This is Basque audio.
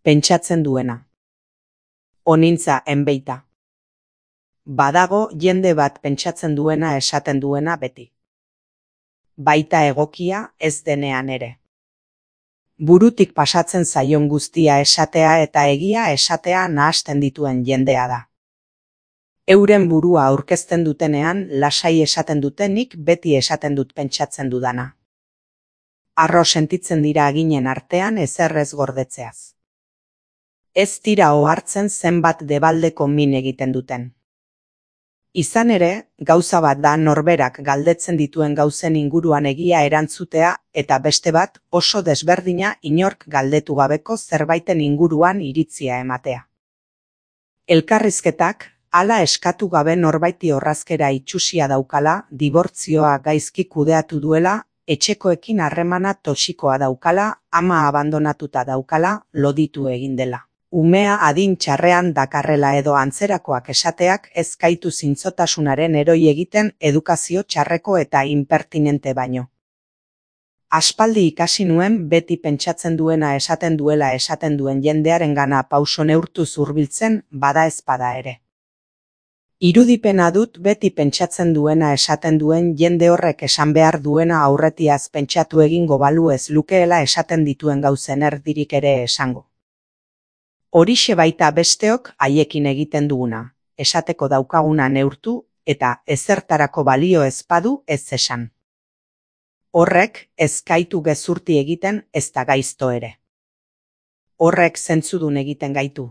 Pentsatzen duena. Onintza enbeita. Badago jende bat pentsatzen duena esaten duena beti. Baita egokia ez denean ere. Burutik pasatzen zaion guztia esatea eta egia esatea nahasten dituen jendea da. Euren burua aurkezten dutenean lasai esaten dutenik beti esaten dut pentsatzen dudana. Harro sentitzen dira aginen artean ezer ez gordetzeaz. Ez dira ohartzen zenbat debaldeko min egiten duten. Izan ere, gauza bat da norberak galdetzen dituen gauzen inguruan egia erantzutea eta beste bat oso desberdina inork galdetu gabeko zerbaiten inguruan iritzia ematea. Elkarrizketak, hala eskatu gabe norbaiti orrazkera itxusia daukala, dibortzioa gaizki kudeatu duela, etxekoekin harremana toxikoa daukala, ama abandonatuta daukala, loditu egin dela. Umea adin txarrean dakarrela edo antzerakoak esateak ez gaitu zintzotasunaren eroi egiten edukazio txarreko eta inpertinente baino. Aspaldi ikasi nuen beti pentsatzen duena esaten duela esaten duen jendearengana pauso neurtuz hurbiltzen bada ezpada ere. Irudipena dut beti pentsatzen duena esaten duen jende horrek esan behar duena aurretiaz pentsatu egingo balu ez lukeela esaten dituen gauzen erdirik ere esango. Horixe baita besteok haiekin egiten duguna, esateko daukaguna neurtu eta ezertarako balio ez badu ez esan. Horrek ez gaitu gezurti egiten ez da gaizto ere. Horrek zentzudun egiten gaitu.